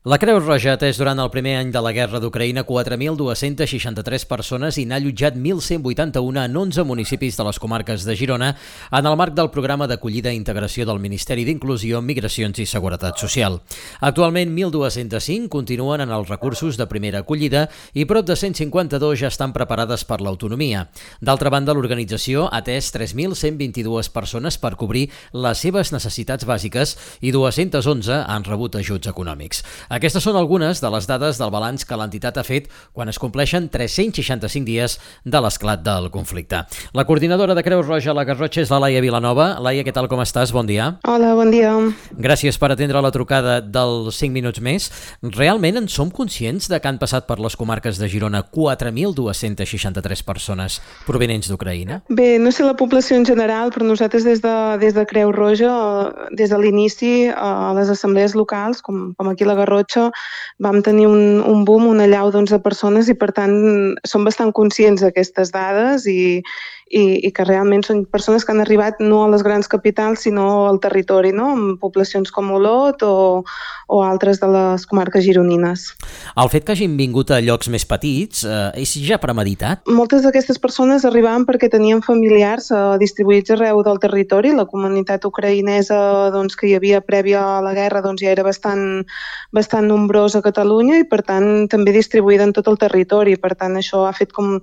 La Creu Roja ha atès durant el primer any de la guerra d'Ucraïna 4.263 persones i n'ha allotjat 1.181 en 11 municipis de les comarques de Girona en el marc del programa d'acollida i integració del Ministeri d'Inclusió, Migracions i Seguretat Social. Actualment, 1.205 continuen en els recursos de primera acollida i prop de 152 ja estan preparades per l'autonomia. D'altra banda, l'organització ha atès 3.122 persones per cobrir les seves necessitats bàsiques i 211 han rebut ajuts econòmics. Aquestes són algunes de les dades del balanç que l'entitat ha fet quan es compleixen 365 dies de l'esclat del conflicte. La coordinadora de Creu Roja a la Garrotxa és la Laia Vilanova. Laia, què tal, com estàs? Bon dia. Hola, bon dia. Gràcies per atendre la trucada dels 5 minuts més. Realment en som conscients de que han passat per les comarques de Girona 4.263 persones provenents d'Ucraïna? Bé, no sé la població en general, però nosaltres des de Creu Roja, des de l'inici, a les assemblees locals, com aquí a la Garrotxa, vam tenir un boom, una allau de persones i, per tant, som bastant conscients d'aquestes dades i que realment són persones que han arribat no a les grans capitals, sinó al territori, no? En poblacions com Olot o altres de les comarques gironines. El fet que hagin vingut a llocs més petits és ja premeditat? Moltes d'aquestes persones arribaven perquè tenien familiars distribuïts arreu del territori. La comunitat ucraïnesa que hi havia prèvia a la guerra ja era bastant nombrosa a Catalunya i, per tant, també distribuïda en tot el territori. Per tant, això ha fet com,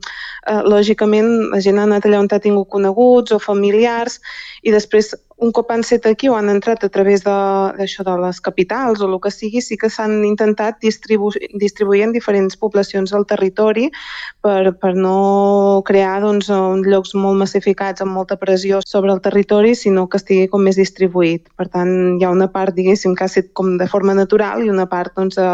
lògicament, la gent ha anat allà on ha tingut coneguts o familiars i després, un cop han set aquí o han entrat a través d'això de les capitals o el que sigui, sí que s'han intentat distribuir en diferents poblacions del territori per no crear llocs molt massificats amb molta pressió sobre el territori, sinó que estigui com més distribuït. Per tant, hi ha una part, diguéssim, que ha set com de forma natural i una part de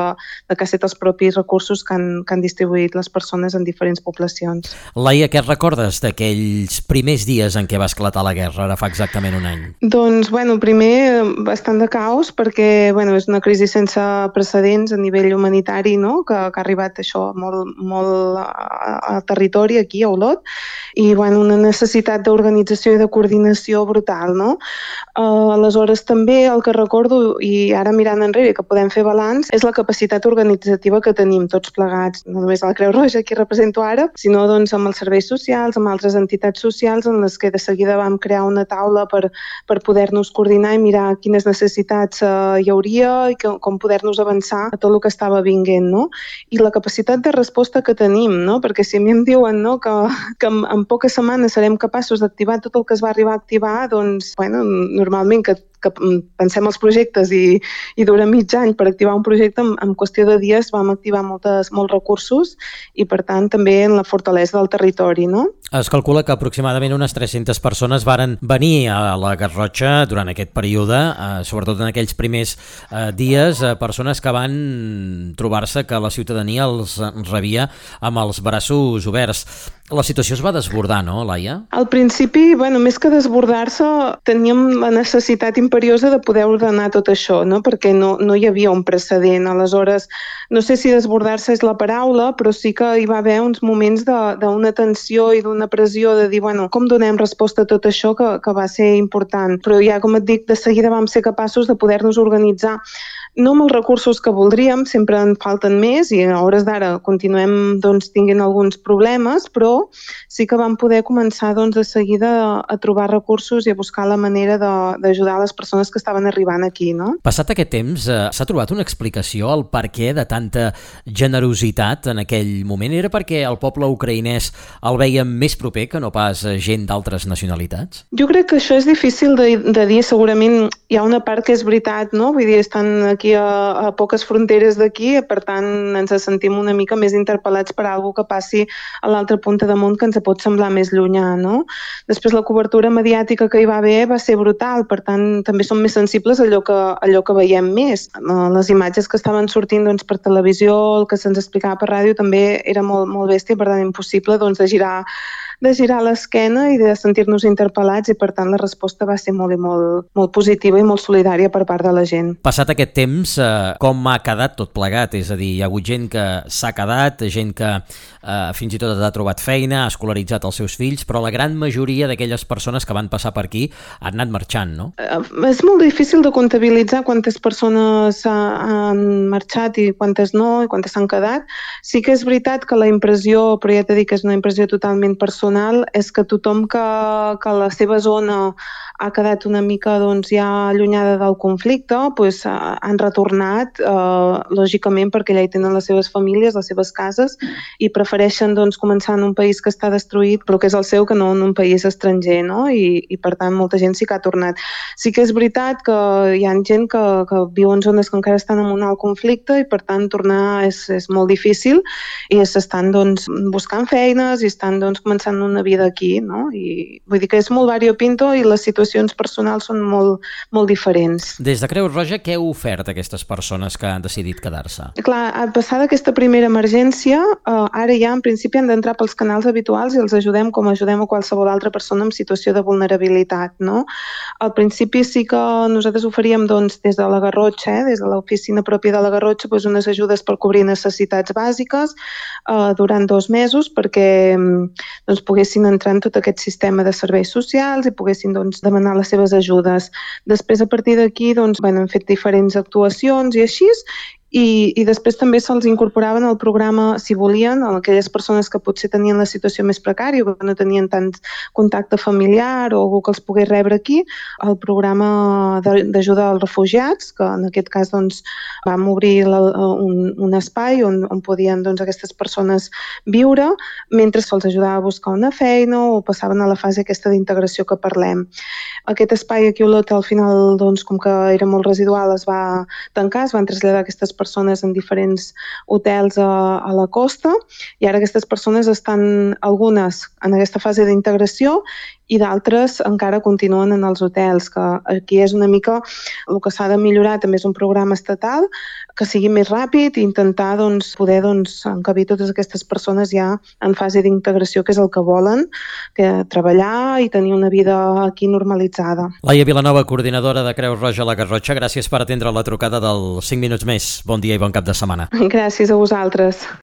que ha set els propis recursos que han distribuït les persones en diferents poblacions. Laia, què recordes d'aquells primers dies en què va esclatar la guerra, ara fa exactament un any? Doncs, primer, bastant de caos, perquè és una crisi sense precedents a nivell humanitari, no? Que ha arribat això molt al territori, aquí a Olot, i una necessitat d'organització i de coordinació brutal, no? Aleshores, també el que recordo, i ara mirant enrere, que podem fer balanç, és la capacitat organitzativa que tenim tots plegats, no només a la Creu Roja, que represento ara, sinó amb els serveis socials, amb altres entitats socials, en les que de seguida vam crear una taula per poder-nos coordinar i mirar quines necessitats hi hauria i com poder-nos avançar a tot el que estava vinguent, no? I la capacitat de resposta que tenim, no? Perquè si a mi em diuen, no, que en poques setmanes serem capaços d'activar tot el que es va arribar a activar, normalment que pensem els projectes i dura mig any per activar un projecte, en qüestió de dies vam activar molts recursos i, per tant, també en la fortalesa del territori, no? Es calcula que aproximadament unes 300 persones varen venir a la Garrotxa durant aquest període, sobretot en aquells primers dies, persones que van trobar-se que la ciutadania els rebia amb els braços oberts. La situació es va desbordar, no, Laia? Al principi, més que desbordar-se, teníem la necessitat imperiosa de poder ordenar tot això, no? Perquè no hi havia un precedent. Aleshores, no sé si desbordar-se és la paraula, però sí que hi va haver uns moments d'una tensió i d'una pressió de dir, com donem resposta a tot això que va ser important. Però ja, com et dic, de seguida vam ser capaços de poder-nos organitzar no amb els recursos que voldríem, sempre en falten més i a hores d'ara continuem tinguent alguns problemes, però sí que vam poder començar de seguida a trobar recursos i a buscar la manera d'ajudar les persones que estaven arribant aquí, no? Passat aquest temps, s'ha trobat una explicació al per què de tanta generositat en aquell moment? Era perquè el poble ucraïnès el veia més proper que no pas gent d'altres nacionalitats? Jo crec que això és difícil de dir. Segurament hi ha una part que és veritat, no? Vull dir, estan aquí a poques fronteres d'aquí, per tant ens sentim una mica més interpel·lats per alguna que passi a l'altra punta de món que ens pot semblar més llunyà, no? Després la cobertura mediàtica que hi va haver va ser brutal, per tant també som més sensibles a allò que veiem més. Les imatges que estaven sortint per televisió, el que se'ns explicava per ràdio també era molt, molt bèstia, per tant impossible de girar de girar l'esquena i de sentir-nos interpel·lats, i per tant la resposta va ser molt positiva i molt solidària per part de la gent. Passat aquest temps, com ha quedat tot plegat? És a dir, hi ha hagut gent que s'ha quedat, gent que fins i tot ha trobat feina, ha escolaritzat els seus fills, però la gran majoria d'aquelles persones que van passar per aquí han anat marxant, no? És molt difícil de comptabilitzar quantes persones han marxat i quantes no, i quantes s'han quedat. Sí que és veritat que la impressió, però ja t'he dit que és una impressió totalment personal, és que tothom que la seva zona ha quedat una mica ja allunyada del conflicte, han retornat, lògicament, perquè allà hi tenen les seves famílies, les seves cases, i prefereixen començar en un país que està destruït, però que és el seu, que no en un país estranger, no? I per tant molta gent sí que ha tornat. Sí que és veritat que hi ha gent que viu en zones que encara estan en un alt conflicte i per tant tornar és molt difícil, i s'estan buscant feines i estan començant una vida aquí, no? I vull dir que és molt variopinto i les situacions personals són molt diferents. Des de Creu Roja, què heu ofert a aquestes persones que han decidit quedar-se? Clar, passada aquesta primera emergència, ara ja en principi han d'entrar pels canals habituals i els ajudem com ajudem a qualsevol altra persona en situació de vulnerabilitat, no? Al principi sí que nosaltres oferíem des de la Garrotxa, des de l'oficina pròpia de la Garrotxa, unes ajudes per cobrir necessitats bàsiques durant 2 mesos perquè poguessin entrar en tot aquest sistema de serveis socials i poguessin demanar les seves ajudes. Després, a partir d'aquí, hem fet diferents actuacions i així, i després també se'ls incorporaven al programa, si volien, a aquelles persones que potser tenien la situació més precària o que no tenien tant contacte familiar o algú que els pogués rebre aquí, al programa d'ajuda als refugiats, que en aquest cas vam obrir un espai on podien aquestes persones viure mentre se'ls ajudava a buscar una feina o passaven a la fase aquesta d'integració que parlem. Aquest espai aquí a Olot, al final, com que era molt residual, es va tancar, es van traslladar aquestes persones en diferents hotels a la costa, i ara aquestes persones estan, algunes, en aquesta fase d'integració i d'altres encara continuen en els hotels, que aquí és una mica el que s'ha de millorar. També és un programa estatal que sigui més ràpid i intentar poder encabir totes aquestes persones ja en fase d'integració, que és el que volen, que treballar i tenir una vida aquí normalitzada. Laia Vilanova, coordinadora de Creu Roja a la Garrotxa, gràcies per atendre la trucada del 5 minuts més. Bon dia i bon cap de setmana. Gràcies a vosaltres.